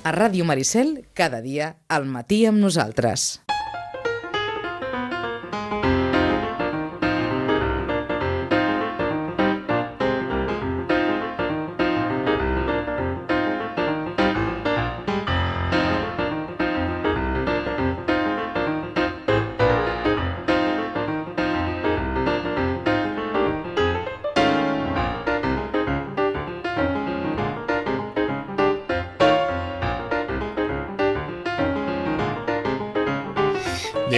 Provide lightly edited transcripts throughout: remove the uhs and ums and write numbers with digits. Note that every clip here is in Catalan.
A Ràdio Maricel, cada dia, al matí amb nosaltres.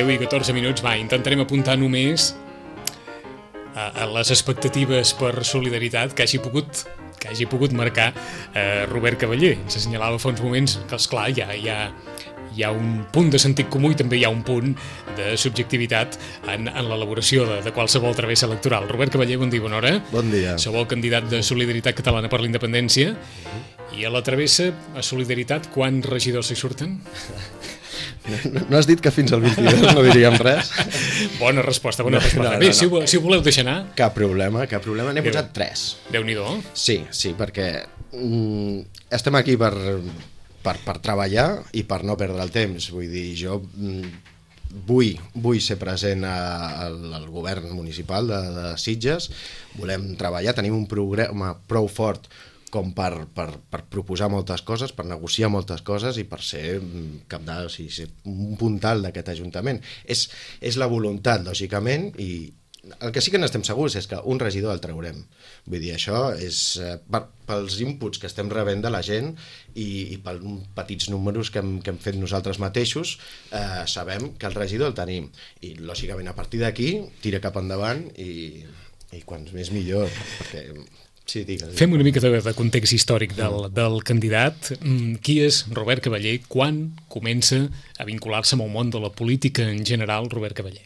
I 14 minuts, intentarem apuntar només a les expectatives per solidaritat que hagi pogut marcar Robert Cavallé. Ens assenyalava fa uns moments que, esclar, hi ha un punt de sentit comú i també hi ha un punt de subjectivitat en l'elaboració de qualsevol travessa electoral. Robert Cavallé, bon dia, bona hora. Bon dia. Sou el candidat de Solidaritat Catalana per la Independència. I a la travessa, a Solidaritat, quants regidors hi surten? No has dit que fins al 22 no diríem res? Bona resposta. Bé, si ho voleu deixar anar... Cap problema. N'he posat 3. Déu-n'hi-do. Sí, perquè estem aquí per treballar i per no perdre el temps. Vull dir, jo vull ser present al govern municipal de Sitges, volem treballar, tenim un programa prou fort com per proposar moltes coses, per negociar moltes coses i per ser cabdal, ser un puntal d'aquest Ajuntament. És la voluntat, lògicament, i el que sí que n'estem segurs és que un regidor el traurem. Vull dir, això és pels inputs que estem rebent de la gent i pels petits números que hem fet nosaltres mateixos, sabem que el regidor el tenim. I, lògicament, a partir d'aquí, tira cap endavant i quants més millor, perquè... Sí, digues. Fem una mica de context històric del candidat. Qui és Robert Cavallé? Quan comença a vincular-se amb el món de la política en general, Robert Cavallé?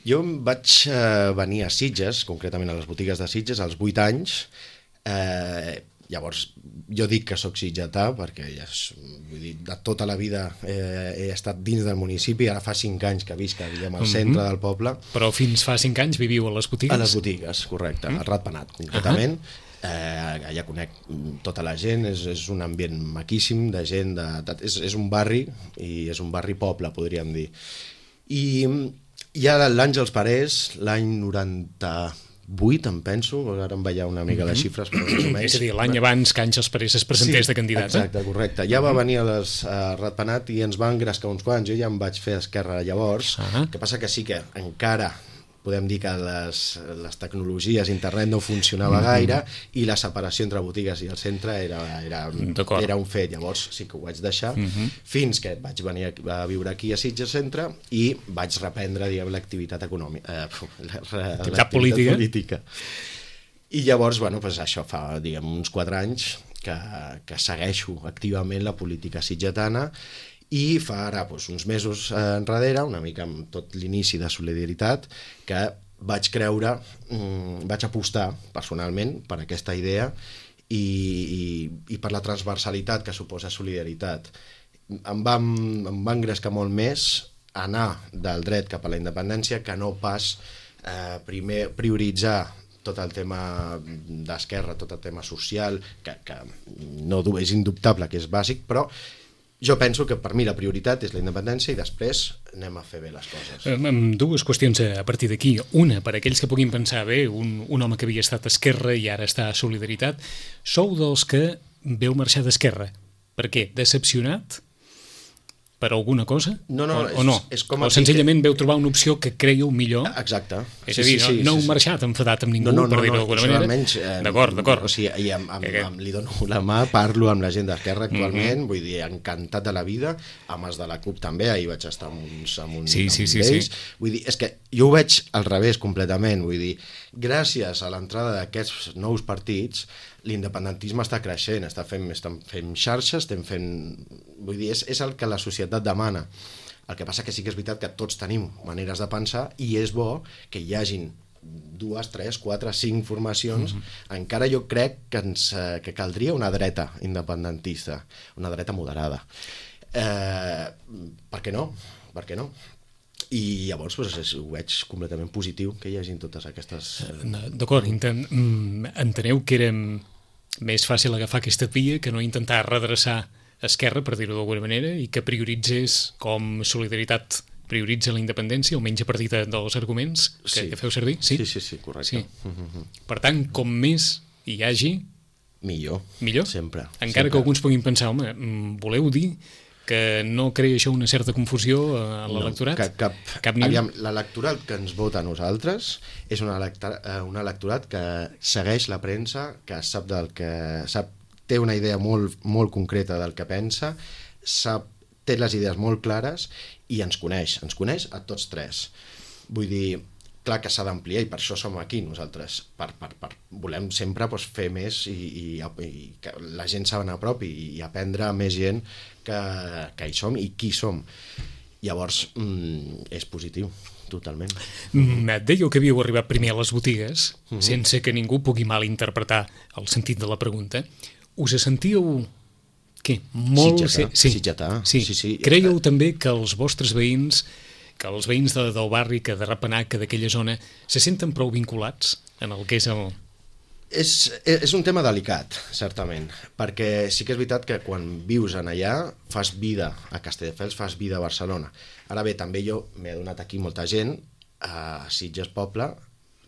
Jo vaig venir a Sitges, concretament a les botigues de Sitges, als 8 anys. Llavors, jo dic que soc sitgetà perquè vull dir, de tota la vida he estat dins del municipi, ara fa 5 anys que visc al centre del poble. Però fins fa 5 anys viviu a les botigues? A les botigues, correcte, al Ratpenat, concretament. Allà conec tota la gent, és un ambient maquíssim de gent, és un barri, i és un barri poble, podríem dir. I ja l'Àngels Parés, l'any 98, em penso, ara em veia una mica les xifres, però més o menys. És a dir, l'any abans que Àngels Parés es presentés de candidat. Exacte, correcte. Ja va venir a Ratpenat i ens va engrescar uns quants. Jo ja em vaig fer esquerra llavors. El que passa que sí que encara podem dir que les tecnologies, internet no funcionava gaire i la separació entre botigues i el centre era un fet. Llavors sí que ho vaig deixar fins que vaig venir a viure aquí a Sitges Centre i vaig reprendre l'activitat econòmica, l'activitat política. I llavors, això fa uns 4 anys que segueixo activament la política sitgetana. I fa ara uns mesos enrere, una mica amb tot l'inici de Solidaritat, que vaig apostar personalment per aquesta idea i per la transversalitat que suposa Solidaritat. Em va engrescar molt més anar del dret cap a la independència que no pas primer prioritzar tot el tema d'esquerra, tot el tema social, que no és indubtable que és bàsic, però jo penso que per mi la prioritat és la independència i després anem a fer bé les coses. Dues qüestions a partir d'aquí. Una, per aquells que puguin pensar, un home que havia estat a Esquerra i ara està a Solidaritat, sou dels que veu marxar d'Esquerra. Per què? Decepcionat? Per alguna cosa? No, o no? O senzillament veu trobar una opció que creieu millor? Exacte. És a dir, no heu marxat enfadat amb ningú, per dir-ho d'alguna manera? Almenys, d'acord. O sigui, li dono la mà, parlo amb la gent d'Esquerra actualment, vull dir, encantat de la vida, amb els de la CUP també, ahir vaig estar amb uns d'ells. Vull dir, és que jo ho veig al revés completament, vull dir, gràcies a l'entrada d'aquests nous partits, l'independentisme està creixent, estem fent xarxes, vull dir, és el que la societat demana. El que passa que sí que és veritat que tots tenim maneres de pensar i és bo que hi hagin 2, 3, 4, 5 formacions. Encara jo crec que caldria una dreta independentista, una dreta moderada. Per què no? I llavors ho veig completament positiu que hi hagin totes aquestes... D'acord, enteneu que era més fàcil agafar aquesta via que no intentar redreçar esquerra, per dir-ho d'alguna manera, i que prioritzés com Solidaritat prioritza la independència, almenys a partir dels arguments que feu servir? Sí, correcte. Sí. Per tant, com més hi hagi... Millor? Sempre. Encara que alguns puguin pensar, home, voleu dir que no crea això una certa confusió a l'electorat? Cap ni un. L'electorat que ens vota a nosaltres és un electorat que segueix la premsa, que sap té una idea molt concreta del que pensa, té les idees molt clares i ens coneix a tots tres. Vull dir, clar que s'ha d'ampliar i per això som aquí nosaltres, volem sempre fer més i que la gent s'anar a prop i aprendre més gent que hi som i qui som. Llavors és positiu, totalment. Dèieu que havíeu arribat primer a les botigues, sense que ningú pugui malinterpretar el sentit de la pregunta. Us sentíeu... Què? Molt... Sitgetà. Sí. Creieu també que els vostres veïns, que els veïns del barri, que de Rapanac, que d'aquella zona, se senten prou vinculats en el que és el... És un tema delicat, certament, perquè sí que és veritat que quan vius en allà fas vida a Castelldefels, fas vida a Barcelona. Ara bé, també jo m'he adonat aquí molta gent a Sitges Poble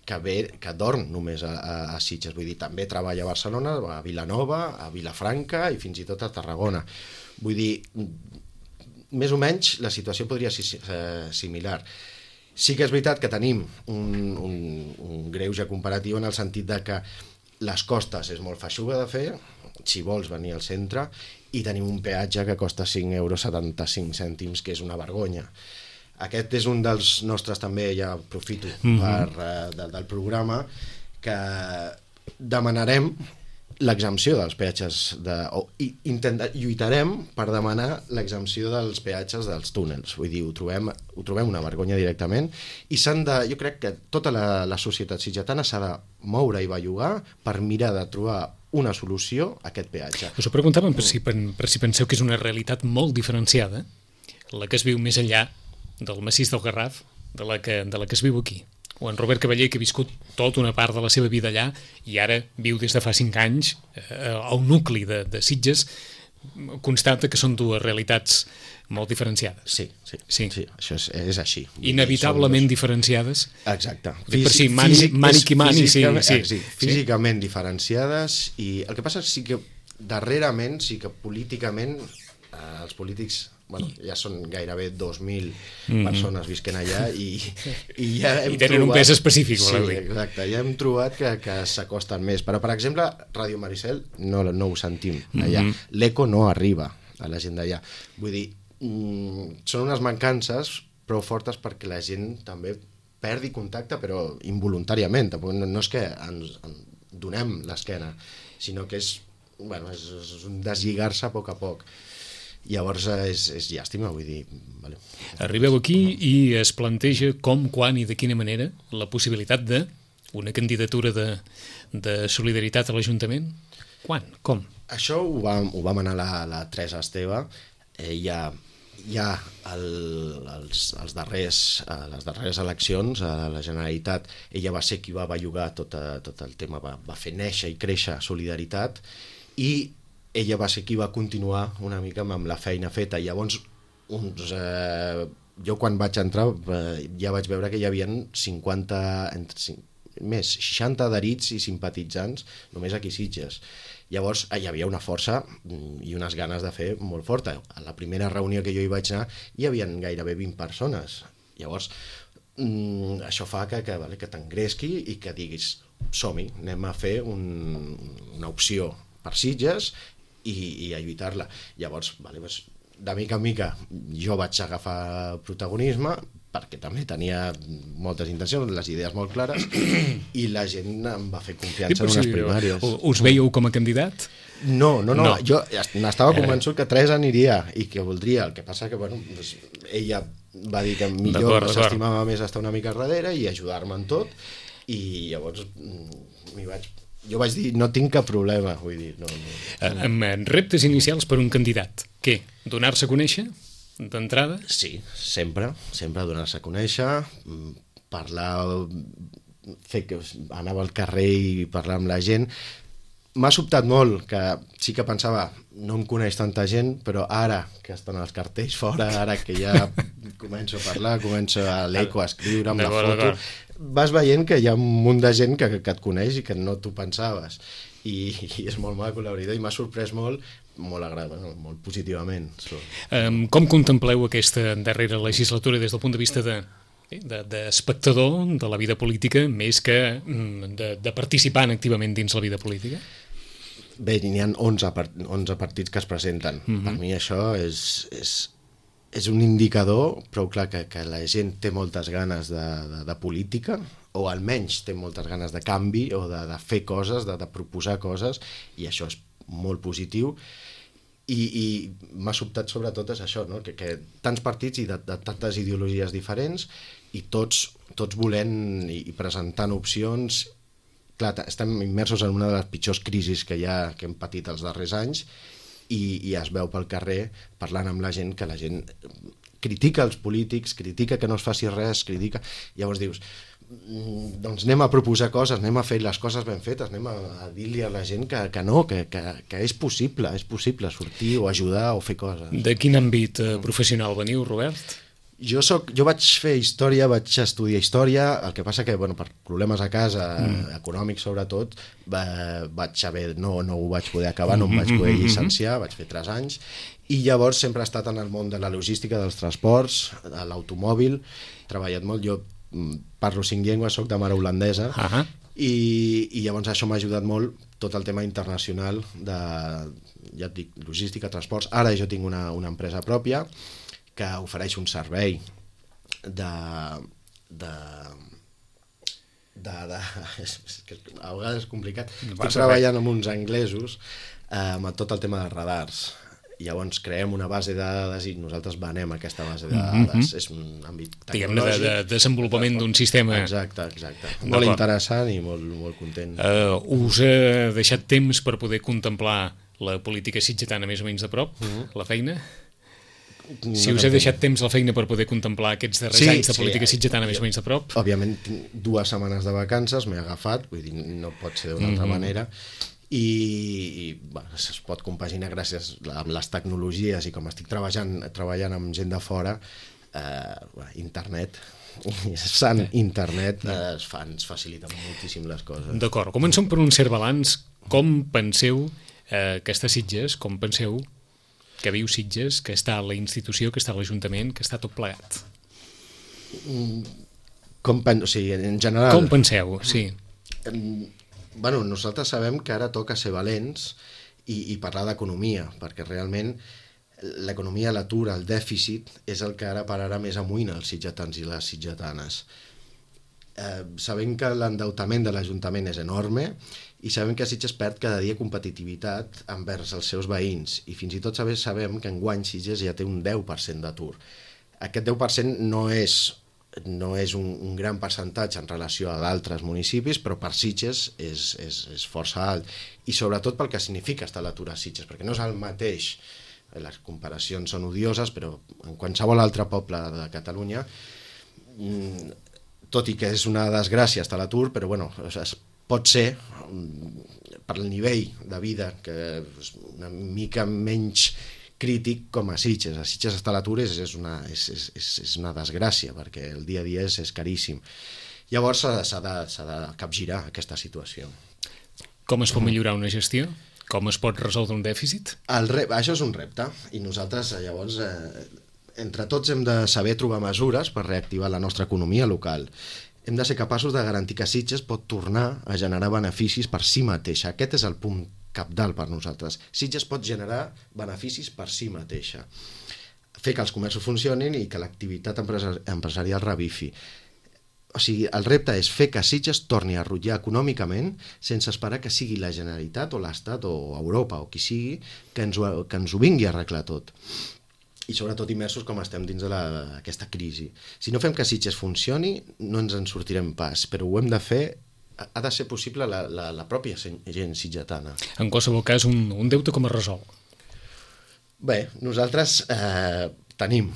que dorm només a Sitges, vull dir, també treballa a Barcelona, a Vilanova, a Vilafranca i fins i tot a Tarragona. Vull dir, més o menys la situació podria ser similar. Sí que és veritat que tenim un greuge comparatiu en el sentit de que les costes és molt feixuga de fer, si vols venir al centre, i tenim un peatge que costa 5,75 €, que és una vergonya. Aquest és un dels nostres, també ja aprofito del programa, que demanarem l'exempció dels peatges, lluitarem per demanar l'exempció dels peatges dels túnels. Vull dir, ho trobem una vergonya directament, i jo crec que tota la societat sitgetana s'ha de moure i bellugar per mirar de trobar una solució a aquest peatge. Us ho preguntàvem per si penseu que és una realitat molt diferenciada, la que es viu més enllà del massís del Garraf, de la que es viu aquí. O en Robert Cavaller, que ha viscut tota una part de la seva vida allà i ara viu des de fa 5 anys al nucli de Sitges, constata que són dues realitats molt diferenciades. Sí, això és així. Inevitablement diferenciades. Exacte. Físicament diferenciades, i el que passa és que darrerament, sí que políticament els polítics ja són gairebé 2.000 persones visquent allà i ja hem tenen un pes específic. Sí, exacte, ja hem trobat que s'acosten més, però per exemple Ràdio Maricel no ho sentim allà, l'eco no arriba a la gent d'allà, vull dir, són unes mancances prou fortes perquè la gent també perdi contacte, però involuntàriament, no és que ens donem l'esquena, sinó que és un deslligar-se a poc a poc. Llavors és llàstima, vull dir... Vale. Arribeu aquí i es planteja com, quan i de quina manera la possibilitat d'una candidatura de Solidaritat a l'Ajuntament? Quan? Com? Això ho vam anar la Teresa Esteve. Ja les darreres eleccions a la Generalitat, ella va ser qui va bellugar tot el tema, va fer néixer i créixer Solidaritat, i ella va ser qui va continuar una mica amb la feina feta. Llavors, jo quan vaig entrar ja vaig veure que hi havia 60 adherits i simpatitzants només aquí a Sitges. Llavors hi havia una força i unes ganes de fer molt forta. A la primera reunió que jo hi vaig anar hi havia gairebé 20 persones. Llavors això fa que t'engresqui i que diguis som-hi, anem a fer una opció per Sitges i a lluitar-la. Llavors, de mica en mica jo vaig agafar protagonisme perquè també tenia moltes intencions, les idees molt clares, i la gent em va fer confiança en unes primàries. Us veieu com a candidat? No. Jo n'estava convençut que Teresa aniria i que voldria. El que passa que ella va dir que millor s'estimava més estar una mica darrere i ajudar-me en tot, i llavors jo vaig dir, no tinc cap problema, vull dir, no. Amb reptes inicials per un candidat, què? Donar-se a conèixer, d'entrada? Sí, sempre donar-se a conèixer, parlar, anava al carrer i parlar amb la gent, m'ha sobtat molt, que sí que pensava, no em coneix tanta gent, però ara que estan els cartells fora, ara que ja començo a parlar, començo a l'eco, a escriure amb la foto, vas veient que hi ha un munt de gent que et coneix i que no t'ho pensaves. I és molt maco, la veritat, i m'ha sorprès molt agradable, molt positivament. Com contempleu aquesta darrera legislatura des del punt de vista d'espectador de la vida política més que de participant activament dins la vida política? Bé, n'hi ha 11 partits que es presenten. Per mi això és un indicador prou clar que la gent té moltes ganes de política, o almenys té moltes ganes de canvi o de fer coses, de proposar coses, i això és molt positiu. I m'ha sobtat sobretot és això, no? que tants partits i de tantes ideologies diferents, i tots volent i presentant opcions. Clar, estem immersos en una de les pitjors crisis que hem patit els darrers anys, i es veu pel carrer parlant amb la gent, que la gent critica els polítics, critica que no es faci res, critica... Llavors dius, doncs anem a proposar coses, anem a fer les coses ben fetes, anem a dir-li a la gent que no, que és possible sortir o ajudar o fer coses. De quin àmbit professional veniu, Robert? Jo vaig fer història, vaig estudiar història, el que passa que per problemes a casa, econòmics sobretot, no ho vaig poder acabar, no em vaig poder llicenciar, vaig fer 3 anys, i llavors sempre he estat en el món de la logística, dels transports, de l'automòbil, he treballat molt, jo parlo 5 llengües, soc de mare holandesa, i llavors això m'ha ajudat molt, tot el tema internacional de, ja et dic, logística, transports. Ara jo tinc una empresa pròpia que ofereix un servei a vegades és complicat. Estic treballant amb uns anglesos amb tot el tema de radars. Llavors creem una base de dades i nosaltres venem aquesta base de dades. És un àmbit tecnològic. De desenvolupament d'un sistema. Exacte. Molt interessant i molt content. Us ha deixat temps per poder contemplar la política sitgetana més o menys de prop, la feina? Si us ha deixat temps la feina per poder contemplar aquests darrers anys de política sitgetana més o menys de prop? Òbviament, 2 setmanes de vacances m'he agafat, vull dir, no pot ser d'una altra manera, i es pot compaginar gràcies amb les tecnologies, i com estic treballant amb gent de fora, internet, internet ens facilita moltíssim les coses. D'acord, comencem per un cert balanç. Com penseu que està Sitges, com penseu que viu Sitges, que està la institució, que està l'Ajuntament, que està tot plegat? En general... Com penseu, sí. Nosaltres sabem que ara toca ser valents i parlar d'economia, perquè realment l'economia, l'atur, el dèficit és el que ara pararà més amunt els sitgetans i les sitgetanes. Sabem que l'endeutament de l'Ajuntament és enorme i sabem que Sitges perd cada dia competitivitat envers els seus veïns, i fins i tot sabem que enguany Sitges ja té un 10% d'atur. Aquest 10% no és un gran percentatge en relació a d'altres municipis, però per Sitges és força alt, i sobretot pel que significa estar a l'atur a Sitges, perquè no és el mateix, les comparacions són odioses, però en qualsevol altre poble de Catalunya, tot i que és una desgràcia estar a l'atur, però pot ser, per el nivell de vida, que és una mica menys crític com a Sitges. A Sitges estar a l'atur és una desgràcia, perquè el dia a dia és caríssim. Llavors s'ha de capgirar aquesta situació. Com es pot millorar una gestió? Com es pot resoldre un dèficit? Això és un repte, i nosaltres llavors entre tots hem de saber trobar mesures per reactivar la nostra economia local. Hem de ser capaços de garantir que Sitges pot tornar a generar beneficis per si mateixa. Aquest és el punt cabdal per nosaltres. Sitges pot generar beneficis per si mateixa. Fer que els comerços funcionin i que l'activitat empresarial revifi. O sigui, el repte és fer que Sitges torni a rutllar econòmicament sense esperar que sigui la Generalitat o l'Estat o Europa o qui sigui que ens ho vingui a arreglar tot. I sobretot immersos com estem dins d'aquesta crisi. Si no fem que Sitges funcioni, no ens en sortirem pas, però ho hem de fer, ha de ser possible la pròpia gent sitgetana. En qualsevol cas, un deute com es resol? Bé, nosaltres tenim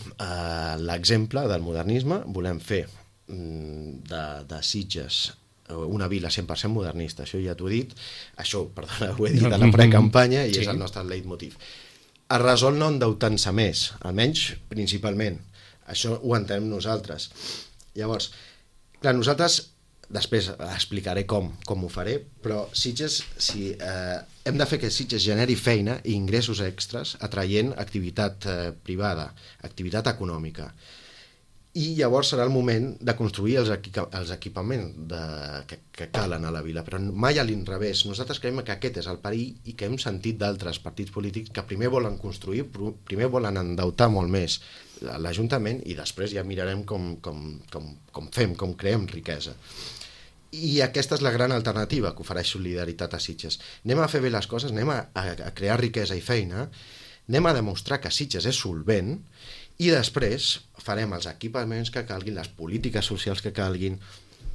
l'exemple del modernisme, volem fer de Sitges una vila 100% modernista, això ja t'ho he dit, això, perdona, ho he dit a la precampanya i és el nostre leitmotiv. Es resol no endeutant-se més, almenys principalment. Això ho entenem nosaltres. Llavors, clar, nosaltres, després explicaré com ho faré, però Sitges, hem de fer que Sitges generi feina i ingressos extras atraient activitat privada, activitat econòmica. I llavors serà el moment de construir els equipaments que calen a la vila, però mai a l'inrevés. Nosaltres creiem que aquest és el perill i que hem sentit d'altres partits polítics que primer volen construir, primer volen endeutar molt més l'Ajuntament i després ja mirarem com fem, com creem riquesa. I aquesta és la gran alternativa que ofereix Solidaritat a Sitges. Anem a fer bé les coses, anem a crear riquesa i feina, anem a demostrar que Sitges és solvent i després farem els equipaments que calguin, les polítiques socials que calguin,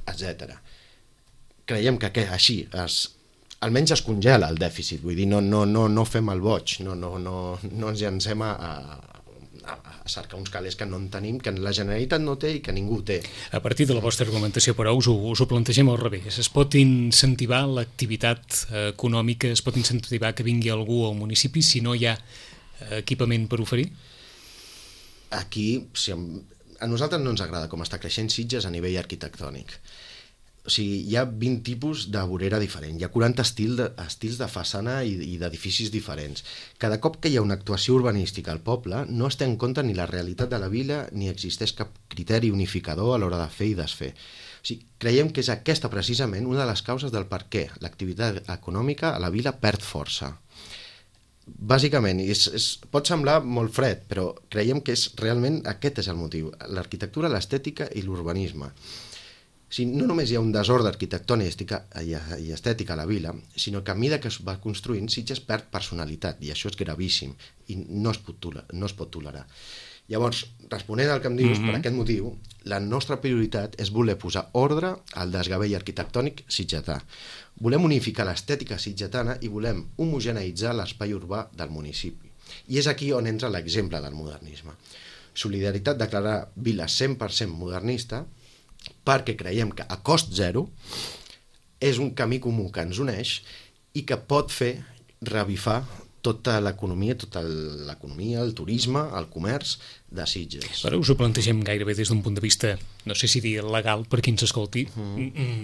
etc. Creiem que així almenys es congela el dèficit, vull dir, no fem el boig, no ens llancem a cercar uns calés que no en tenim, que la Generalitat no té i que ningú té. A partir de la vostra argumentació, però, us ho plantegem al revés. Es pot incentivar l'activitat econòmica, es pot incentivar que vingui algú al municipi si no hi ha equipament per oferir? Aquí, a nosaltres no ens agrada com està creixent Sitges a nivell arquitectònic. O sigui, hi ha 20 tipus de vorera diferent, hi ha 40 estils de façana i d'edificis diferents. Cada cop que hi ha una actuació urbanística al poble, no es té en compte ni la realitat de la vila ni existeix cap criteri unificador a l'hora de fer i desfer. O sigui, creiem que és aquesta precisament una de les causes del per què l'activitat econòmica a la vila perd força. Bàsicament, pot semblar molt fred, però creiem que realment aquest és el motiu, l'arquitectura, l'estètica i l'urbanisme. O sigui, no només hi ha un desordre arquitectònic i estètica a la vila, sinó que a mesura que es va construint, Sitges perd personalitat, i això és gravíssim, i no es pot tolerar. Llavors, responent al que em dius, per aquest motiu, la nostra prioritat és voler posar ordre al desgavell arquitectònic sitgetà. Volem unificar l'estètica sitgetana i volem homogeneïtzar l'espai urbà del municipi. I és aquí on entra l'exemple del modernisme. Solidaritat declarar vila 100% modernista perquè creiem que a cost zero és un camí comú que ens uneix i que pot fer revifar tota l'economia, el turisme, el comerç de Sitges. Però us ho plantegem gairebé des d'un punt de vista, no sé si dir legal per qui ens escolti.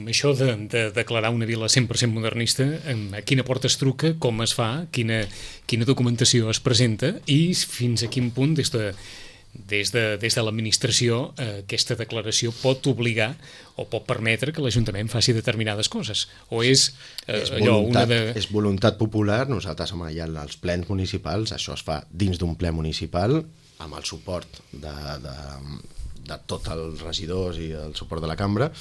Això de declarar una vila 100% modernista, a quina porta es truca, com es fa, quina documentació es presenta i fins a quin punt des de l'administració aquesta declaració pot obligar o pot permetre que l'Ajuntament faci determinades coses, o és és voluntat popular. Nosaltres allà als plens municipals, això es fa dins d'un ple municipal amb el suport de tots els regidors i el suport de la cambra,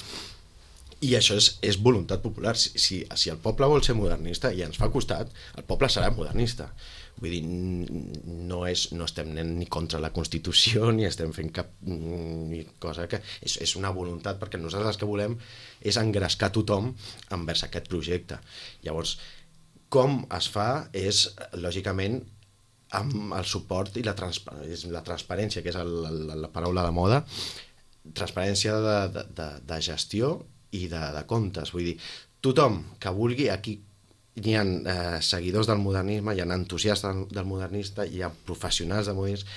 i això és voluntat popular. Si el poble vol ser modernista i ens fa costat, el poble serà modernista. Vull dir, no estem ni contra la Constitució ni estem fent cap cosa que és una voluntat, perquè nosaltres el que volem és engrescar tothom envers aquest projecte. Llavors, com es fa és, lògicament, amb el suport i la transparència, que és la paraula de moda, transparència de gestió i de comptes. Vull dir, tothom que vulgui, aquí hi ha seguidors del modernisme, hi ha entusiastes del modernista, hi ha professionals del modernisme.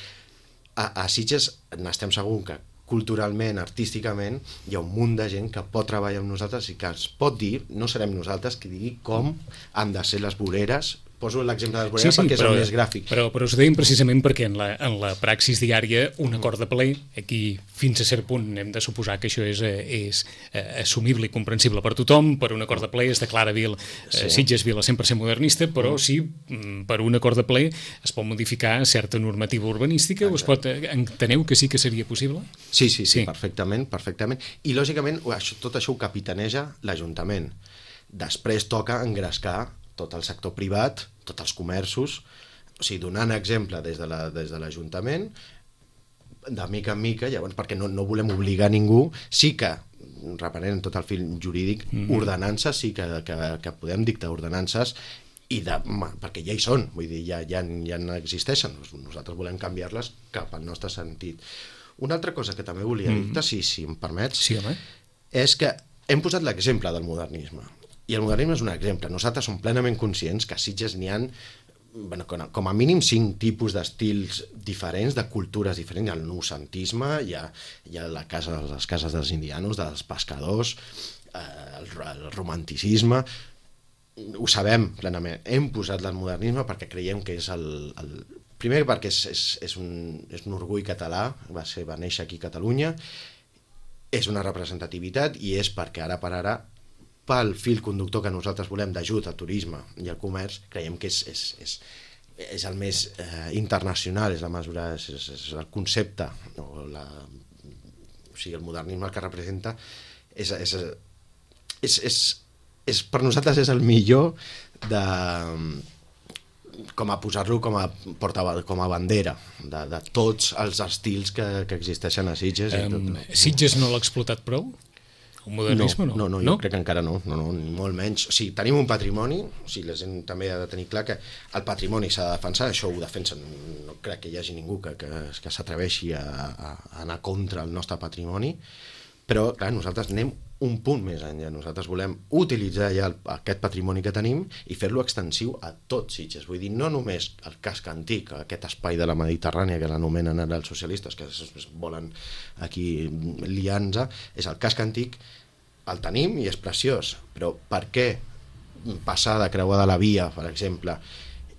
A Sitges n'estem segurs que culturalment, artísticament, hi ha un munt de gent que pot treballar amb nosaltres i que ens pot dir, no serem nosaltres qui digui com han de ser les voreres. Poso l'exemple de les voreres perquè és el més gràfic. Però us ho deim precisament perquè en la praxis diària un acord de ple, aquí fins a cert punt hem de suposar que això és assumible i comprensible per tothom. Per un acord de ple es declara Sitges vila 100% modernista, però sí, per un acord de ple es pot modificar certa normativa urbanística. Enteneu que sí que seria possible? Sí, perfectament. I lògicament tot això ho capitaneja l'Ajuntament. Després toca engrescar tot el sector privat, tots els comerços, o sigui, donant exemple des de l'Ajuntament, de mica en mica, llavors, perquè no volem obligar ningú. Sí que, reprenent tot el fil jurídic, ordenances, sí que podem dictar ordenances, perquè ja hi són, vull dir, ja existeixen, nosaltres volem canviar-les cap al nostre sentit. Una altra cosa que també volia dir-te, si em permets, sí, home, és que hem posat l'exemple del modernisme, i el modernisme és un exemple. Nosaltres som plenament conscients que a Sitges n'hi ha com a mínim 5 tipus d'estils diferents, de cultures diferents. Hi ha el noucentisme, hi ha les cases dels indianos, dels pescadors, el romanticisme. Ho sabem plenament. Hem posat el modernisme perquè creiem que és primer perquè és un orgull català, va néixer aquí a Catalunya, és una representativitat, i és perquè ara per ara, pel fil conductor que nosaltres volem d'ajut al turisme i al comerç, creiem que és el més internacional, és la mesura, és el concepte, o sigui, el modernisme el que representa per nosaltres és el millor com a posar-lo com a bandera de tots els estils que existeixen a Sitges. Sitges no l'ha explotat prou? El modernisme no? No, jo crec que encara no, ni molt menys. O sigui, tenim un patrimoni, la gent també ha de tenir clar que el patrimoni s'ha de defensar, això ho defensen, no crec que hi hagi ningú que s'atreveixi a anar contra el nostre patrimoni, però clar, nosaltres anem un punt més enllà. Nosaltres volem utilitzar ja aquest patrimoni que tenim i fer-lo extensiu a tot Sitges. Vull dir, no només el casc antic, aquest espai de la Mediterrània que l'anomenen ara els socialistes, que es volen aquí liar-nos, és el casc antic, el tenim i és preciós, però per què passar de creuar de la via, per exemple,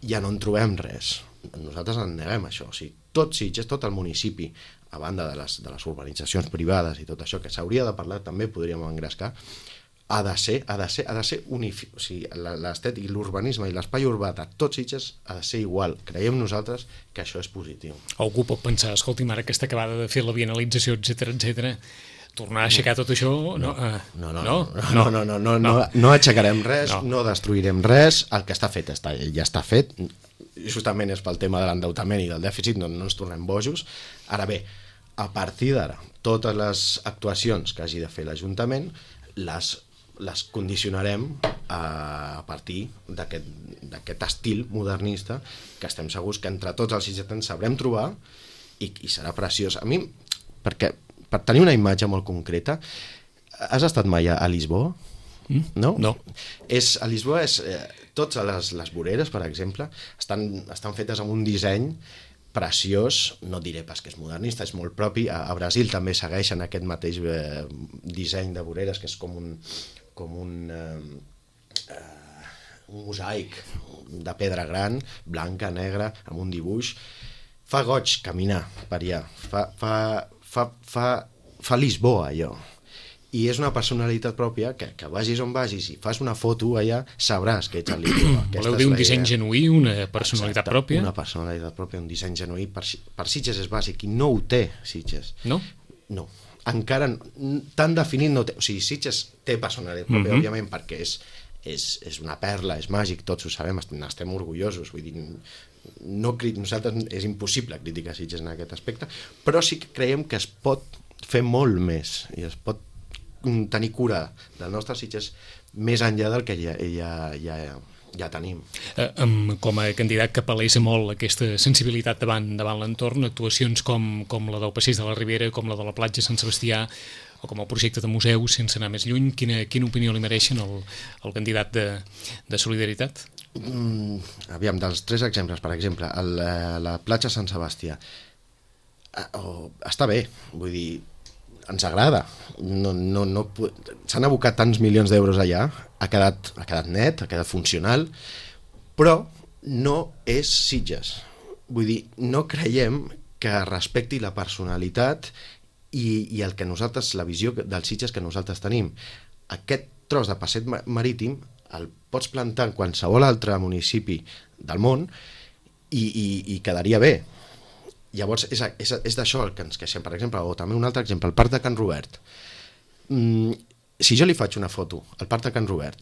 ja no en trobem res? Nosaltres en neguem això. O sigui, tot Sitges, tot el municipi, a banda de les urbanitzacions privades i tot això, que s'hauria de parlar, també podríem engrescar, ha de ser o sigui, l'estètic i l'urbanisme i l'espai urbà de tots Sitges ha de ser igual. Creiem nosaltres que això és positiu. Algú pot pensar, escolti'm, ara aquesta acabada de fer la bienalització, etc, tornar a aixecar tot això... No aixecarem res, no destruirem res, el que està fet ja està fet, justament és pel tema de l'endeutament i del dèficit, no ens tornem bojos. Ara bé, a partir d'ara, totes les actuacions que hagi de fer l'Ajuntament les condicionarem a partir d'aquest estil modernista que estem segurs que entre tots els sitgetans sabrem trobar i serà preciós. A mi, perquè per tenir una imatge molt concreta, has estat mai a Lisboa? No? A Lisboa totes les voreres, per exemple, estan fetes amb un disseny preciós, no diré pas que és modernista, és molt propi. A Brasil també segueixen aquest mateix disseny de voreres, que és com un mosaic de pedra gran, blanca, negra, amb un dibuix. Fa goig caminar per allà, fa Lisboa, allò. I és una personalitat pròpia que vagis on vagis i fas una foto allà, sabràs que ets a Lisboa. Voleu dir un disseny genuí, una personalitat pròpia? Una personalitat pròpia, un disseny genuí. Per Sitges és bàsic i no ho té Sitges. No? No. Encara tan definit no té. O sigui, Sitges té personalitat pròpia, òbviament, perquè és una perla, és màgic, tots ho sabem, n'estem orgullosos. Vull dir, nosaltres és impossible criticar Sitges en aquest aspecte, però sí que creiem que es pot fer molt més i es pot tenir cura del nostre Sitges més enllà del que ja tenim. Com a candidat que palesa molt aquesta sensibilitat davant l'entorn, actuacions com la del Passeig de la Ribera, com la de la platja Sant Sebastià, o com el projecte de museu, sense anar més lluny, quina opinió li mereixen el candidat de Solidaritat? Aviam, dels 3 exemples, per exemple, la platja Sant Sebastià, està bé, vull dir, ens agrada, s'han abocat tants milions d'euros allà, ha quedat net, ha quedat funcional, però no és Sitges. Vull dir, no creiem que respecti la personalitat i el que nosaltres, la visió del Sitges que nosaltres tenim. Aquest tros de passeig marítim el pots plantar en qualsevol altre municipi del món i quedaria bé. Llavors és d'això el que ens queixem, per exemple, o també un altre exemple, el Parc de Can Robert. Si jo li faig una foto al Parc de Can Robert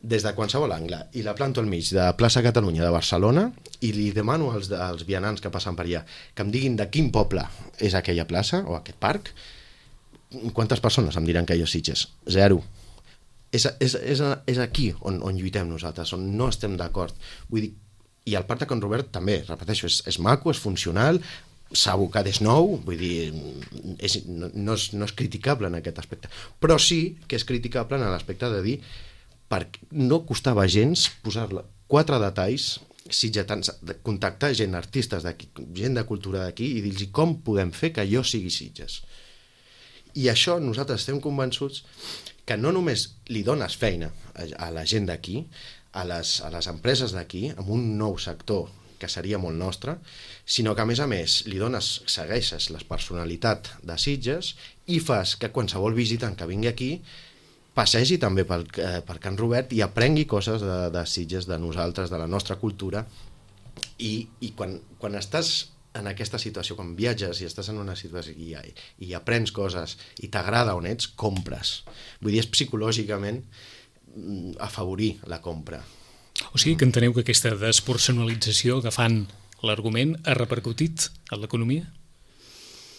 des de qualsevol angle i la planto al mig de Plaça Catalunya de Barcelona i li demano als vianants que passen per allà que em diguin de quin poble és aquella plaça o aquest parc, quantes persones em diran que jo Sitges? 0. És aquí on lluitem nosaltres, on no estem d'acord. Vull dir, i el Parc de Can Robert també, repeteixo, és maco, és funcional, s'ha abocat, és nou, vull dir, no és criticable en aquest aspecte, però sí que és criticable en l'aspecte de dir perquè no costava gens posar-la 4 detalls sitgetans, contactar gent, artistes d'aquí, gent de cultura d'aquí i dir-los com podem fer que allò sigui Sitges. I això nosaltres estem convençuts que no només li dones feina a la gent d'aquí, a les empreses d'aquí, amb un nou sector que seria molt nostre, sinó que a més li segueixes la personalitat de Sitges i fas que qualsevol visitant que vingui aquí passegi també per Can Robert i aprengui coses de Sitges, de nosaltres, de la nostra cultura, i quan estàs en aquesta situació, quan viatges i estàs en una situació i aprens coses i t'agrada on ets, compres. Vull dir, és psicològicament afavorir la compra. O sigui que enteneu que aquesta despersonalització, agafant l'argument, ha repercutit en l'economia?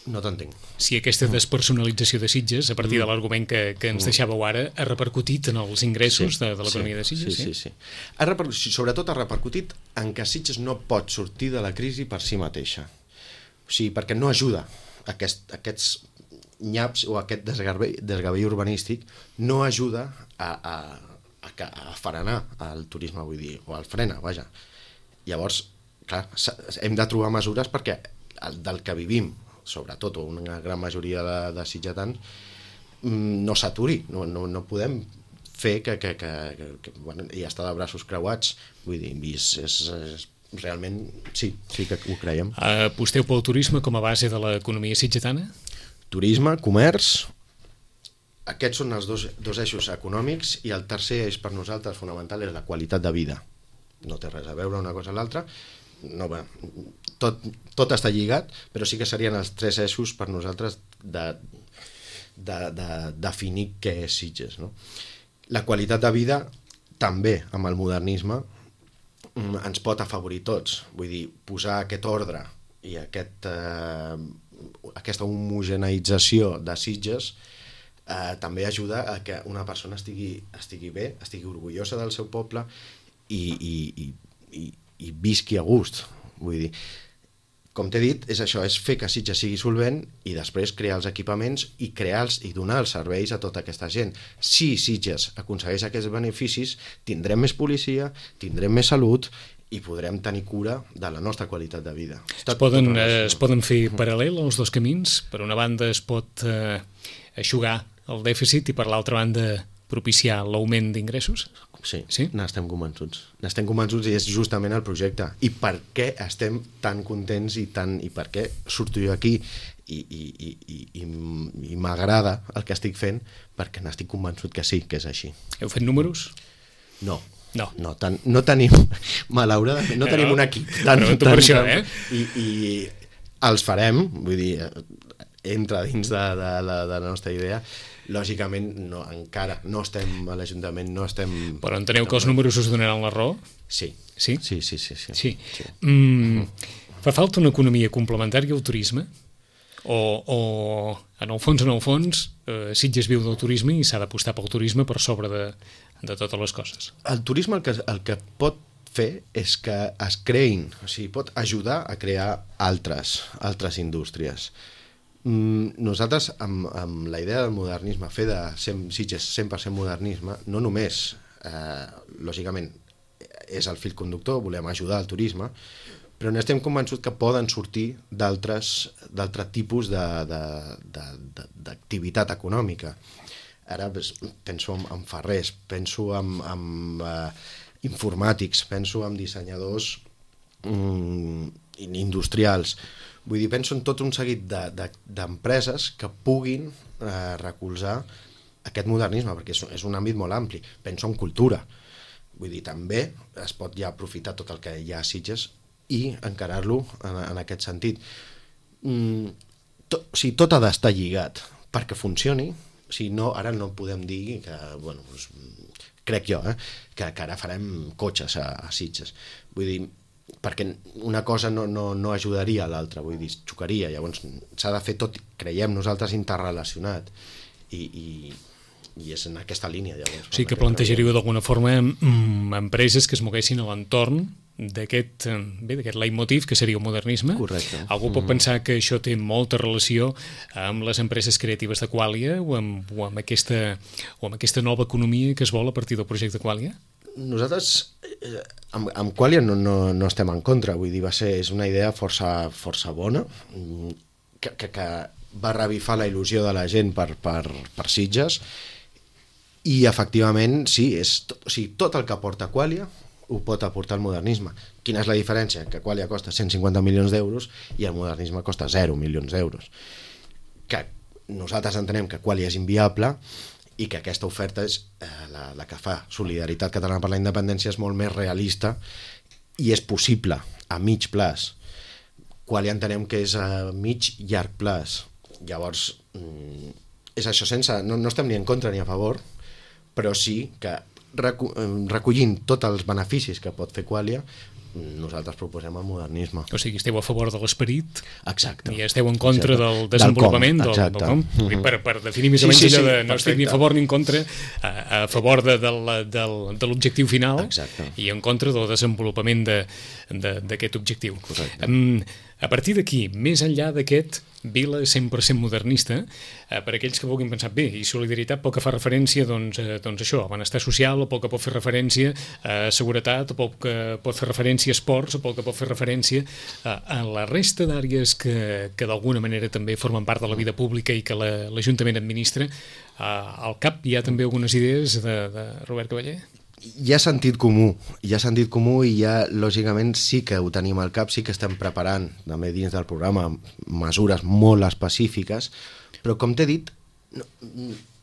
No t'entenc. Si aquesta despersonalització de Sitges, a partir de l'argument que ens deixàveu ara, ha repercutit en els ingressos de l'economia de Sitges? Sí. Sobretot ha repercutit en que Sitges no pot sortir de la crisi per si mateixa. O sigui, perquè no ajuda aquests nyaps o aquest desgavell urbanístic no ajuda a frenar el turisme, vull dir, o al frena, vaja. Llavors, clar, hem de trobar mesures perquè del que vivim, sobretot, o una gran majoria de sitgetans, no s'aturi, no podem fer que bueno, i estar de braços creuats, vull dir, és realment, sí que ho creiem. Aposteu pel turisme com a base de l'economia sitgetana? Turisme, comerç, aquests són els dos eixos econòmics, i el tercer eix per nosaltres fonamental és la qualitat de vida. No té res a veure una cosa amb l'altra, no, tot està lligat, però sí que serien els 3 eixos per nosaltres de definir què és Sitges, no? La qualitat de vida també amb el modernisme ens pot afavorir tots, vull dir, posar aquest ordre i aquesta homogeneïtzació de Sitges també ajuda a que una persona estigui bé, estigui orgullosa del seu poble i visqui a gust. Vull dir, com t'he dit, és això, és fer que Sitges sigui solvent i després crear els equipaments i donar els serveis a tota aquesta gent. Si Sitges aconsegueix aquests beneficis, tindrem més policia, tindrem més salut i podrem tenir cura de la nostra qualitat de vida. Es poden fer paral·lel els dos camins? Per una banda es pot eixugar el dèficit i per l'altra banda propiciar l'augment d'ingressos? Sí? N'estem convençuts i és justament el projecte. I per què estem tan contents i per què surto jo aquí i m'agrada el que estic fent, perquè n'estic convençut que sí, que és així. Heu fet números? No tenim, malauradament, no tenim un equip. Per això, I els farem, vull dir, entra dins de la nostra idea. Lògicament, encara no estem a l'Ajuntament, no estem... Però enteneu que els números us donaran la raó? Sí. Sí? Sí. Fa falta una economia complementària al turisme? O en el fons, Sitges viu del turisme i s'ha d'apostar pel turisme per sobre de totes les coses? El turisme el que pot fer és que es creïn, o sigui, pot ajudar a crear altres indústries. Nosaltres, amb la idea del modernisme, fer de Sitges 100% modernisme, no només, lògicament, és el fil conductor, volem ajudar al turisme, però n'estem convençuts que poden sortir d'altres tipus d'activitat econòmica. Ara penso en ferrers, penso en informàtics, penso en dissenyadors industrials. Vull dir, penso en tot un seguit d'empreses que puguin recolzar aquest modernisme, perquè és un àmbit molt ampli. Penso en cultura. Vull dir, també es pot ja aprofitar tot el que hi ha a Sitges i encarar-lo en aquest sentit. O sigui, tot ha d'estar lligat perquè funcioni. O sigui, ara no podem dir que, bueno, crec jo, que ara farem cotxes a Sitges. Vull dir, perquè una cosa no ajudaria a l'altra, vull dir, xocaria. Llavors s'ha de fer tot, creiem nosaltres, interrelacionat i és en aquesta línia. Llavors, o sigui que plantejaríeu d'alguna forma empreses que es moguessin a l'entorn d'aquest leitmotiv que seria el modernisme. Correcte. Algú pot pensar que això té molta relació amb les empreses creatives de Qualia o amb aquesta nova economia que es vol a partir del projecte Qualia? Nosaltres amb Qualia no estem en contra, vull dir, és una idea força bona que va revifar la il·lusió de la gent per Sitges, i efectivament sí, tot el que aporta Qualia ho pot aportar el modernisme. Quina és la diferència? Que Qualia costa 150 milions d'euros i el modernisme costa 0 milions d'euros. Que nosaltres entenem que Qualia és inviable i que aquesta oferta és la que fa Solidaritat Catalana per la Independència, és molt més realista i és possible a mig plaç. Qualia entenem que és a mig llarg plaç. Llavors, és això, no estem ni en contra ni a favor, però sí que recollint tots els beneficis que pot fer Qualia, nosaltres proposem el modernisme. O sigui, esteu a favor de l'esperit. Exacte. I esteu en contra del desenvolupament del com. Per definir més o menys allò de no estic ni a favor ni en contra, a favor de l'objectiu final. Exacte. I en contra del desenvolupament d'aquest objectiu. Correcte. A partir d'aquí, més enllà d'aquest vila 100% modernista, per aquells que vulguin pensar, bé, i Solidaritat pel que fa referència doncs això, a benestar social, o pel que pot fer referència a seguretat, o pel que pot fer referència a esports, o pel que pot fer referència a la resta d'àrees que d'alguna manera també formen part de la vida pública i que l'Ajuntament administra. Al cap hi ha també algunes idees de Robert Cavaller? Hi ha sentit comú i ja, lògicament, sí que ho tenim al cap, sí que estem preparant també dins del programa mesures molt específiques, però com t'he dit,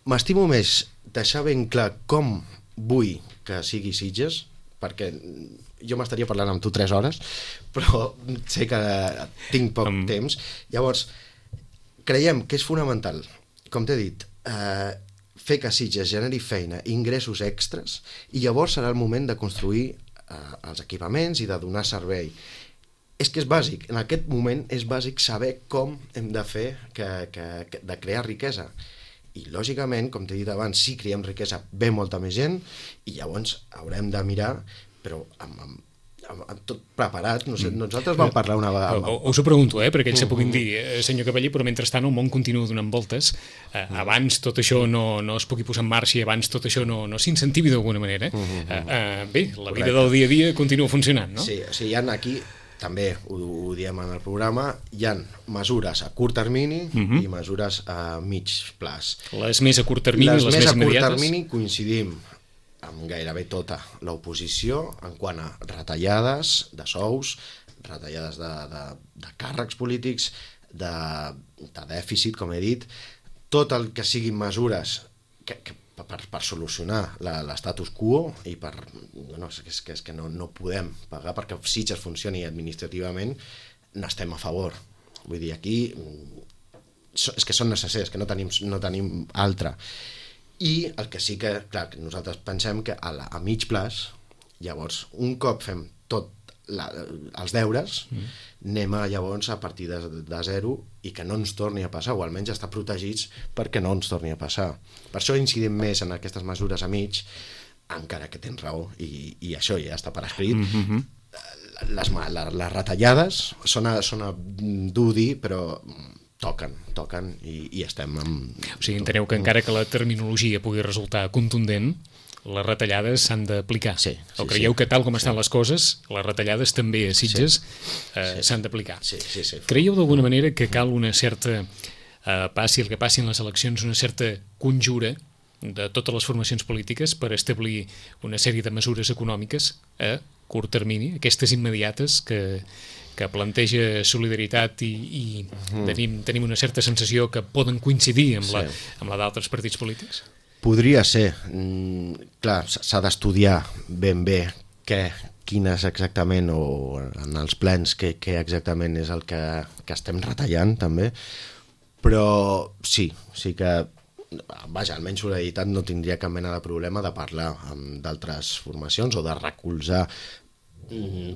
m'estimo més deixar ben clar com vull que sigui Sitges, perquè jo m'estaria parlant amb tu 3 hores, però sé que tinc poc temps. Llavors, creiem que és fonamental, com t'he dit, fer que Sitges generi feina, ingressos extras, i llavors serà el moment de construir els equipaments i de donar servei. És que és bàsic, en aquest moment és bàsic saber com hem de fer de crear riquesa. I lògicament, com t'he dit abans, si creem riquesa ve molta més gent i llavors haurem de mirar, però amb tot preparat. Nosaltres vam parlar una vegada. Us ho pregunto, per aquells que puguin dir, senyor Cavaller, però mentrestant el món continua donant voltes. Abans tot això no es pugui posar en marxa i abans tot això no s'incentivi d'alguna manera. Bé, la vida del dia a dia continua funcionant, no? Sí, hi ha aquí, també ho diem en el programa, hi ha mesures a curt termini i mesures a mig plaç. Les més a curt termini, les més immediates? Les més a curt termini coincidim amb gairebé tota l'oposició en quant a retallades de sous, retallades de càrrecs polítics, de dèficit, com he dit, tot el que siguin mesures per solucionar l'estatus quo i és que no podem pagar perquè Sitges funcioni administrativament, n'estem a favor. Vull dir, aquí és que són necessaris, que no tenim altra. I el que sí que, clar, nosaltres pensem que a mig plaç, llavors, un cop fem tot els deures, anem llavors a partir de zero i que no ens torni a passar, o almenys estar protegits perquè no ens torni a passar. Per això incidim més en aquestes mesures a mig, encara que tens raó, i això ja està per escrit. Les retallades sona dur dir, però toquen i estem amb... O sigui, enteneu que encara que la terminologia pugui resultar contundent, les retallades s'han d'aplicar. Sí, o creieu que tal com estan les coses, les retallades també a Sitges s'han d'aplicar? Sí. Creieu d'alguna manera que cal una certa, passi el que passi en les eleccions, una certa conjura de totes les formacions polítiques per establir una sèrie de mesures econòmiques a curt termini, aquestes immediates que planteja Solidaritat i tenim una certa sensació que poden coincidir amb la d'altres partits polítics? Podria ser. Clar, s'ha d'estudiar ben bé quines exactament, o en els plens, què exactament és el que estem retallant, també. Però sí que vaja, almenys Solidaritat no tindria cap mena de problema de parlar amb d'altres formacions o de recolzar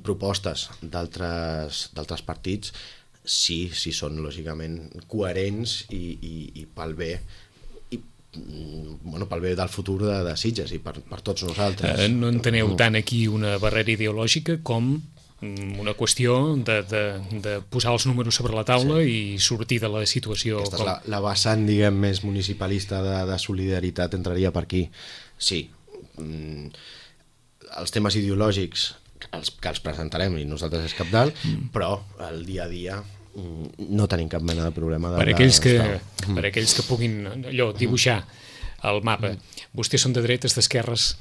propostes d'altres partits si són lògicament coherents i pel bé, i pel bé del futur de Sitges i per tots nosaltres. No enteneu tant aquí una barrera ideològica com una qüestió de posar els números sobre la taula i sortir de la situació. Aquesta és la vessant, diguem, més municipalista de solidaritat, entraria per aquí. Sí, els temes ideològics que els presentarem i nosaltres és cabdal, però el dia a dia no tenim cap mena de problema. Per aquells que puguin dibuixar el mapa, vostès són de dretes, d'esquerres?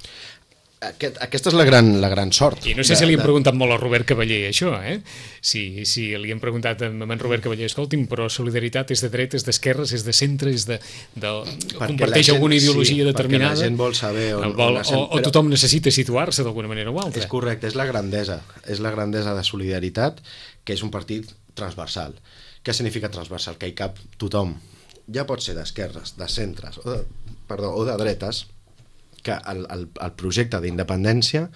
Aquesta és la gran sort. I no sé si li hem preguntat molt a Robert Cavaller això, si li hem preguntat a en Robert Cavaller, escolti'm, però Solidaritat és de dretes, d'esquerres, és de centre, comparteix alguna ideologia determinada? Perquè la gent vol saber o tothom necessita situar-se d'alguna manera o altra? És correcte, és la grandesa de Solidaritat, que és un partit transversal. Què significa transversal? Que hi cap tothom. Ja pot ser d'esquerres, de centres o de dretes, que el projecte d'independència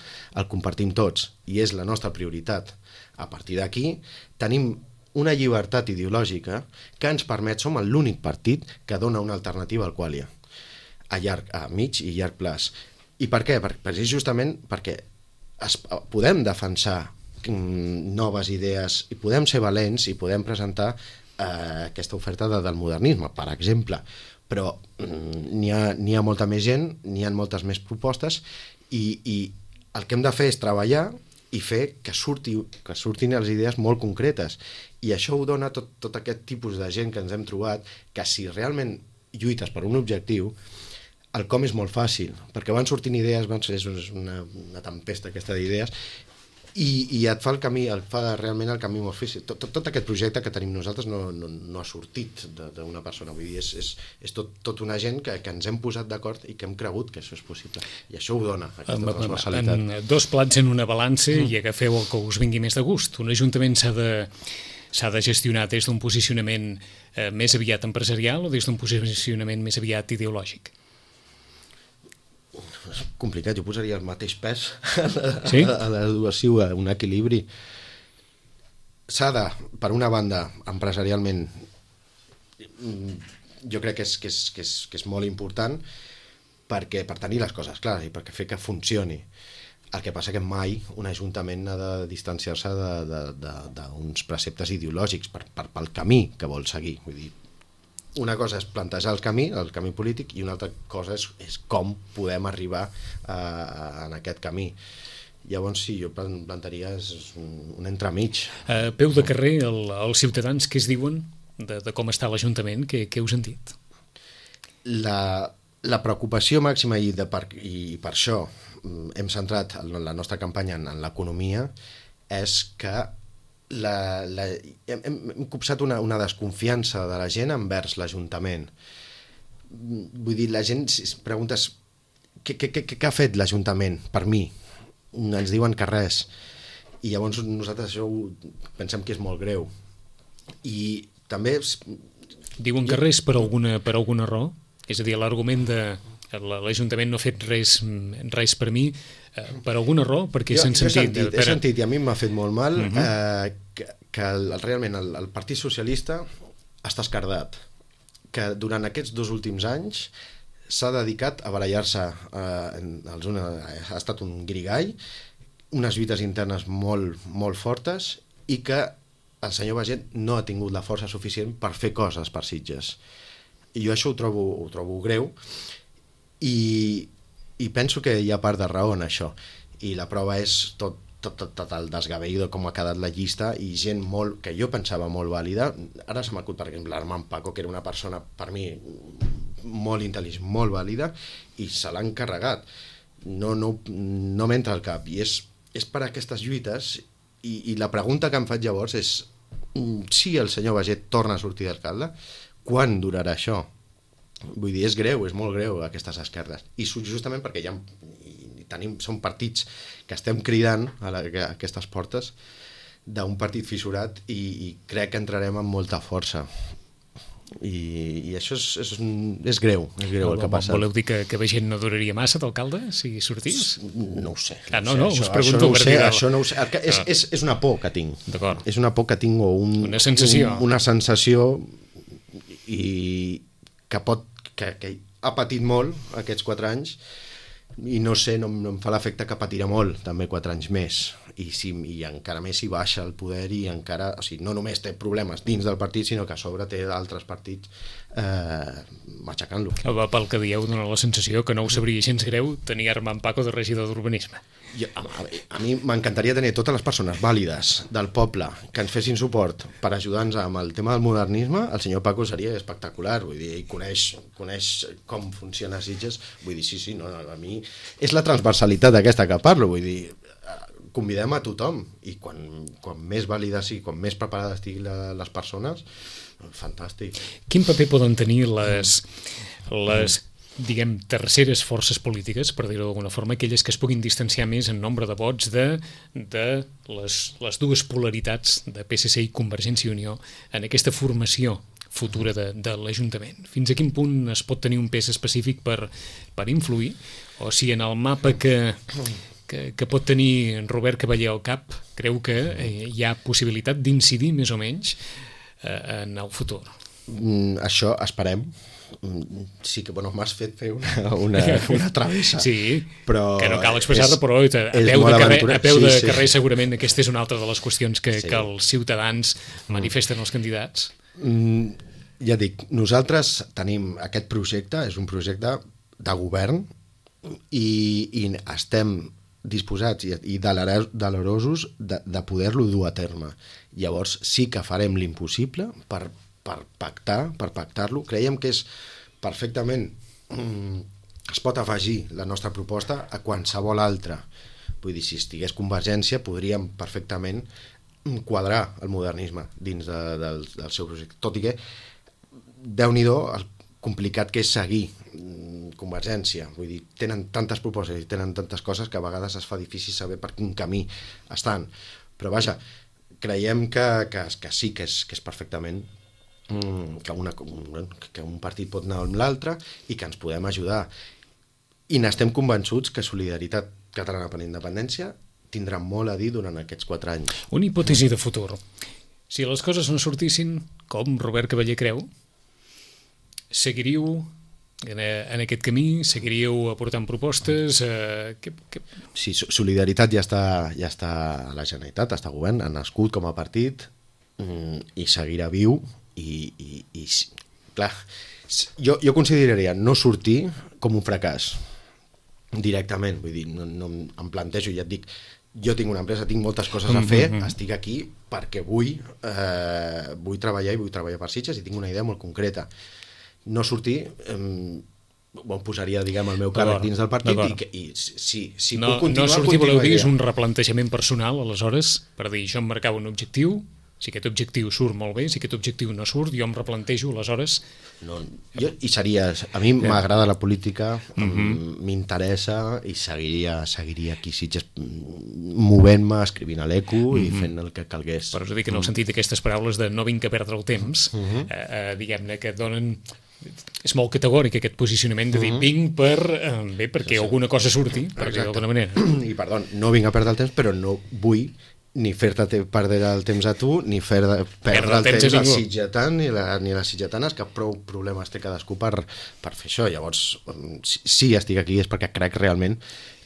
el compartim tots i és la nostra prioritat. A partir d'aquí tenim una llibertat ideològica que ens permet, som l'únic partit que dona una alternativa al Qualia a mig i llarg plaç. I per què? Justament perquè podem defensar noves idees i podem ser valents i podem presentar aquesta oferta del modernisme, per exemple, però n'hi ha molta més gent, n'hi ha moltes més propostes i el que hem de fer és treballar i fer que surtin les idees molt concretes, i això ho dona tot aquest tipus de gent que ens hem trobat, que si realment lluites per un objectiu, el com és molt fàcil, perquè van sortint idees, és una tempesta aquesta d'idees, i et fa realment el camí molt difícil. Tot aquest projecte que tenim nosaltres no ha sortit d'una persona, vull dir, és tot una gent que ens hem posat d'acord i que hem cregut que això és possible, i això ho dona aquesta transversalitat. En dos plats en una balança i agafeu el que us vingui més de gust. Un ajuntament s'ha de gestionar des d'un posicionament més aviat empresarial o des d'un posicionament més aviat ideològic? És complicat, jo posaria el mateix pes sí? a la dues, un equilibri. S'ha de, per una banda, empresarialment, jo crec que és molt important per tenir les coses clares i perquè fer que funcioni. El que passa que mai un ajuntament ha de distanciar-se d'uns preceptes ideològics pel camí que vol seguir. Vull dir, una cosa és plantejar el camí polític, i una altra cosa és com podem arribar en aquest camí. Llavors, sí, jo plantaria un entremig. Peu de carrer, els ciutadans què es diuen de com està l'Ajuntament? Què heu sentit? La preocupació màxima, i per això hem centrat la nostra campanya en l'economia, és que hem copsat una desconfiança de la gent envers l'Ajuntament. Vull dir, la gent es pregunta què ha fet l'Ajuntament per mi? Ens diuen que res, i llavors nosaltres això pensem que és molt greu. I també diuen que res per alguna raó? És a dir, l'argument de l'Ajuntament no ha fet res per mi, per alguna raó, perquè s'han sentit... He sentit, i a mi m'ha fet molt mal, que realment el Partit Socialista està escardat, que durant aquests 2 últims anys s'ha dedicat a barallar-se, ha estat un grigall, unes lluites internes molt, molt fortes, i que el senyor Baiget no ha tingut la força suficient per fer coses per Sitges. I jo això ho trobo greu, i penso que hi ha part de raó en això, i la prova és tot el desgavell de com ha quedat la llista, i gent que jo pensava molt vàlida. Ara se m'acut, per exemple, l'Armand Paco, que era una persona per mi molt intel·ligent, molt vàlida, i se l'han carregat. No m'entra al cap, i és per aquestes lluites, i la pregunta que em faig llavors és si el senyor Baiget torna a sortir d'alcalde, quan durarà això? Vull dir, és greu, és molt greu, aquestes esquerdes, i justament perquè som partits que estem cridant a aquestes portes d'un partit fissurat, i crec que entrarem amb molta força, i això és greu el que ha passat. Voleu dir que Baiget no duraria massa d'alcalde si sortís? No ho sé. No, us pregunto. Això no ho sé. És una por que tinc. D'acord. És una por que tinc, o una sensació. Una sensació, i que ha patit molt aquests 4 anys i no sé, no em fa l'efecte que patirà molt també 4 anys més i encara més si baixa el poder i encara, o sigui, no només té problemes dins del partit, sinó que a sobre té altres partits matxacant-lo. Pel que dieu, dona la sensació que no ho sabria gens greu tenir Armand Paco de regidor d'urbanisme. A mi m'encantaria tenir totes les persones vàlides del poble que ens fessin suport per ajudar-nos amb el tema del modernisme. El senyor Paco seria espectacular, vull dir, ell coneix com funciona Sitges, vull dir, sí, no, a mi és la transversalitat aquesta que parlo, vull dir, convidem a tothom i quan més vàlides i quan més preparades estiguin les persones, fantàstic. Quin paper poden tenir les diguem, terceres forces polítiques, per dir-ho d'alguna forma, aquelles que es puguin distanciar més en nombre de vots de les dues polaritats de PSC i Convergència i Unió en aquesta formació futura de l'Ajuntament? Fins a quin punt es pot tenir un pes específic per influir? O si en el mapa que pot tenir Robert Cavaller al cap creu que hi ha possibilitat d'incidir més o menys en el futur? Això esperem. Sí que m'has fet fer una travessa. Sí, però que no cal expressar-la, però a peu de carrer segurament aquesta és una altra de les qüestions que els ciutadans manifesten als candidats. Ja dic, nosaltres tenim aquest projecte, és un projecte de govern i estem disposats i delerosos de poder-lo dur a terme. Llavors sí que farem l'impossible per pactar-lo. Creiem que és perfectament es pot afegir la nostra proposta a qualsevol altra. Vull dir, si estigués Convergència podríem perfectament quadrar el modernisme dins del seu projecte, tot i que Déu-n'hi-do el complicat que és seguir Convergència, vull dir, tenen tantes propostes i tenen tantes coses que a vegades es fa difícil saber per quin camí estan, però vaja, creiem que sí, que és perfectament que un partit pot anar amb l'altre i que ens podem ajudar, i n'estem convençuts que Solidaritat Catalana per la Independència tindrà molt a dir durant aquests 4 anys. Una hipòtesi de futur: si les coses no sortissin com Robert Cavaller creu, seguiríeu en aquest camí? Seguiríeu aportant propostes? Sí, Solidaritat ja està a la Generalitat, està a govern, ha nascut com a partit i seguirà viu i clar, jo consideraria no sortir com un fracàs directament, vull dir, no em plantejo, ja et dic, jo tinc una empresa, tinc moltes coses a fer, estic aquí perquè vull treballar i vull treballar per Sitges i tinc una idea molt concreta. No sortir posaria, diguem, el meu càrrec dins del partit i si puc continuar... No sortir, voleu dir, és un replantejament personal, aleshores, per dir, jo em marcava un objectiu, si aquest objectiu surt molt bé, si aquest objectiu no surt, jo em replantejo, aleshores... I seria... A mi m'agrada la política, m'interessa i seguiria aquí Sitges movent-me, escrivint a l'ECO i fent el que calgués. Però us dic, en el sentit d'aquestes paraules de no vinc a perdre el temps, diguem-ne, que donen... És molt categòric aquest posicionament de dir vinc perquè alguna cosa surti, per dir d'alguna manera. I perdó, no vinc a perdre el temps, però no vull ni fer-te perdre el temps a tu, ni perdre el temps al sitgetà ni les sitgetanes, que prou problemes té cadascú per fer això. Llavors, si estic aquí és perquè crec realment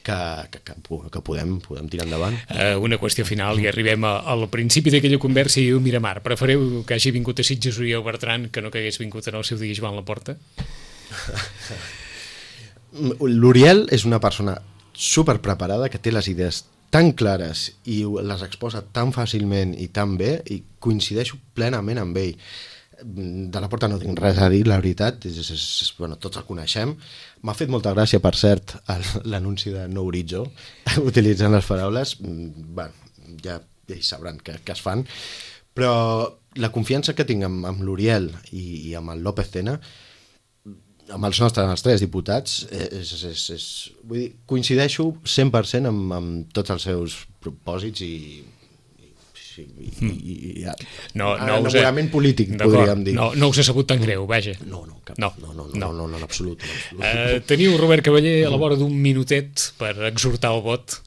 que podem tirar endavant. Una qüestió final, i arribem al principi d'aquella conversa i diu, Miramar, prefereu que hagi vingut a Sitges Oriol Bertran que no que hagués vingut en el seu dia Joan Laporta? L'Oriol és una persona superpreparada que té les idees tan clares i les exposa tan fàcilment i tan bé, i coincideixo plenament amb ell. De la Porta no tinc res a dir, la veritat, bueno, tots el coneixem. M'ha fet molta gràcia, per cert, l'anunci de No Horitzó, utilitzant les paraules, ja hi sabran que es fan, però la confiança que tinc amb l'Oriol i amb el López Tena, amb els tres diputats, vull dir, coincideixo 100% amb tots els seus propòsits i i enamorament polític, podríem dir. No us ha sabut tan greu, vaja. No, en absolut. Teniu Robert Cavaller a la vora d'un minutet per exhortar el vot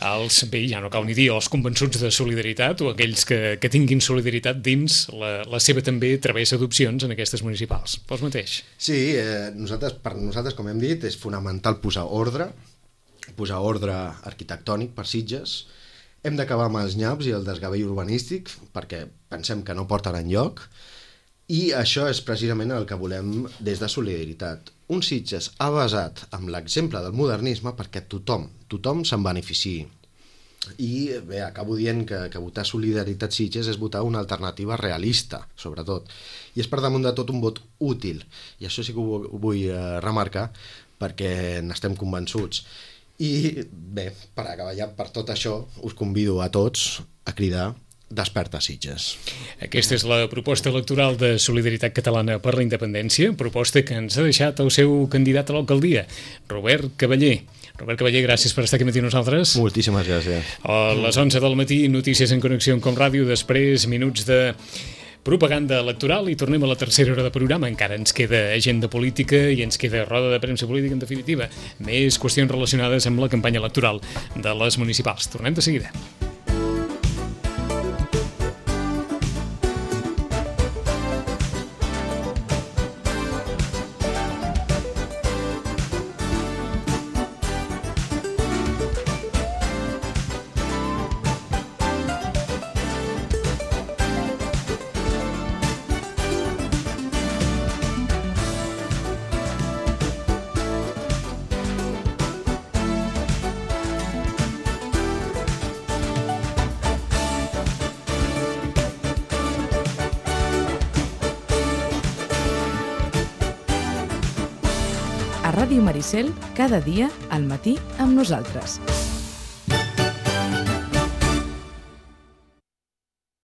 als, bé, ja no cal ni dir, els convençuts de solidaritat o aquells que tinguin solidaritat dins la seva també travessa d'opcions en aquestes municipals. Vos mateix. Sí, per nosaltres, com hem dit, és fonamental posar ordre arquitectònic per Sitges. Hem d'acabar amb els nyaps i el desgavell urbanístic perquè pensem que no porten enlloc i això és precisament el que volem des de Solidaritat. Un Sitges basat en l'exemple del modernisme perquè tothom se'n beneficiï. I bé, acabo dient que votar Solidaritat Sitges és votar una alternativa realista, sobretot. I és per damunt de tot un vot útil. I això sí que ho vull remarcar perquè n'estem convençuts. I bé, per acabar ja per tot això, us convido a tots a cridar Desperta Sitges. Aquesta és la proposta electoral de Solidaritat Catalana per la Independència, proposta que ens ha deixat el seu candidat a l'alcaldia, Robert Cavaller. Robert Cavaller, gràcies per estar aquí matí amb nosaltres. Moltíssimes gràcies. A les 11 del matí, notícies en connexió amb Com Ràdio, després minuts de propaganda electoral i tornem a la tercera hora de programa. Encara ens queda agenda política i ens queda roda de premsa política, en definitiva. Més qüestions relacionades amb la campanya electoral de les municipals. Tornem de seguida. A Ràdio Maricel, cada dia al matí amb nosaltres.